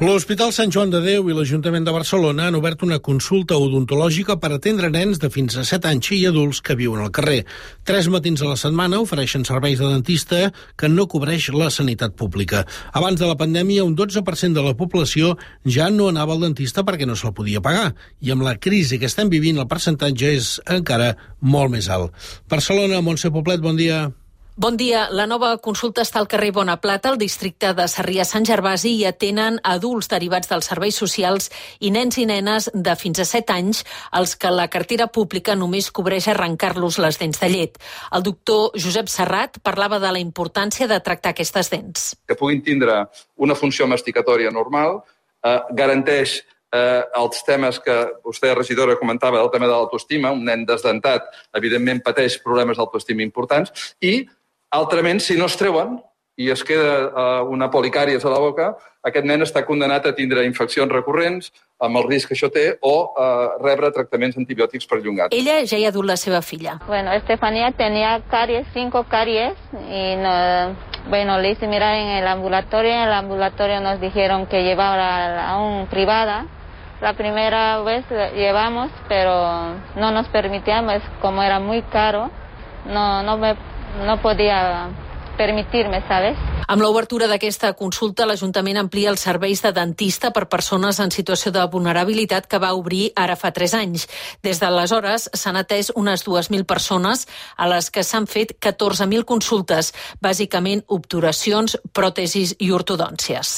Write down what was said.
L'Hospital Sant Joan de Déu i l'Ajuntament de Barcelona han obert una consulta odontològica per atendre nens de fins a 7 anys i adults que viuen al carrer. 3 matins a la setmana ofereixen serveis de dentista que no cobreix la sanitat pública. Abans de la pandèmia, un 12% de la població ja no anava al dentista perquè no se'l podia pagar. I amb la crisi que estem vivint, el percentatge és encara molt més alt. Barcelona, Montse Poblet, bon dia. Bon dia. La nova consulta està al carrer Bonaplata, al districte de Sarrià-Sant Gervasi, i atenen adults derivats dels serveis socials i nens i nenes de fins a 7 anys, els que la cartera pública només cobreix arrencar-los les dents de llet. El doctor Josep Serrat parlava de la importància de tractar aquestes dents. Que puguin tindre una funció masticatòria normal, garanteix els temes que vostè, regidora, comentava, del tema de l'autoestima. Un nen desdentat, evidentment, pateix problemes d'autoestima importants i, altrament, si no es treuen i es queda una policàries a la boca, aquest nen està condenat a tindre infeccions recurrents, amb el risc que això té, o rebre tractaments antibiòtics perllongats. Ella ja hi ha dut la seva filla. Bueno, Estefanía tenía caries, 5 caries, y le hice mirar en el ambulatorio nos dijeron que llevara a un privada. La primera vez llevamos, pero no nos permitíamos, como era muy caro, no podía permitirme, ¿sabes? Amb l'obertura d'aquesta consulta, l'Ajuntament amplia els serveis de dentista per persones en situació de vulnerabilitat que va obrir ara fa 3 anys. Des d'aleshores s'han atès unes 2.000 persones a les que s'han fet 14.000 consultes, bàsicament obturacions, pròtesis i ortodòncies.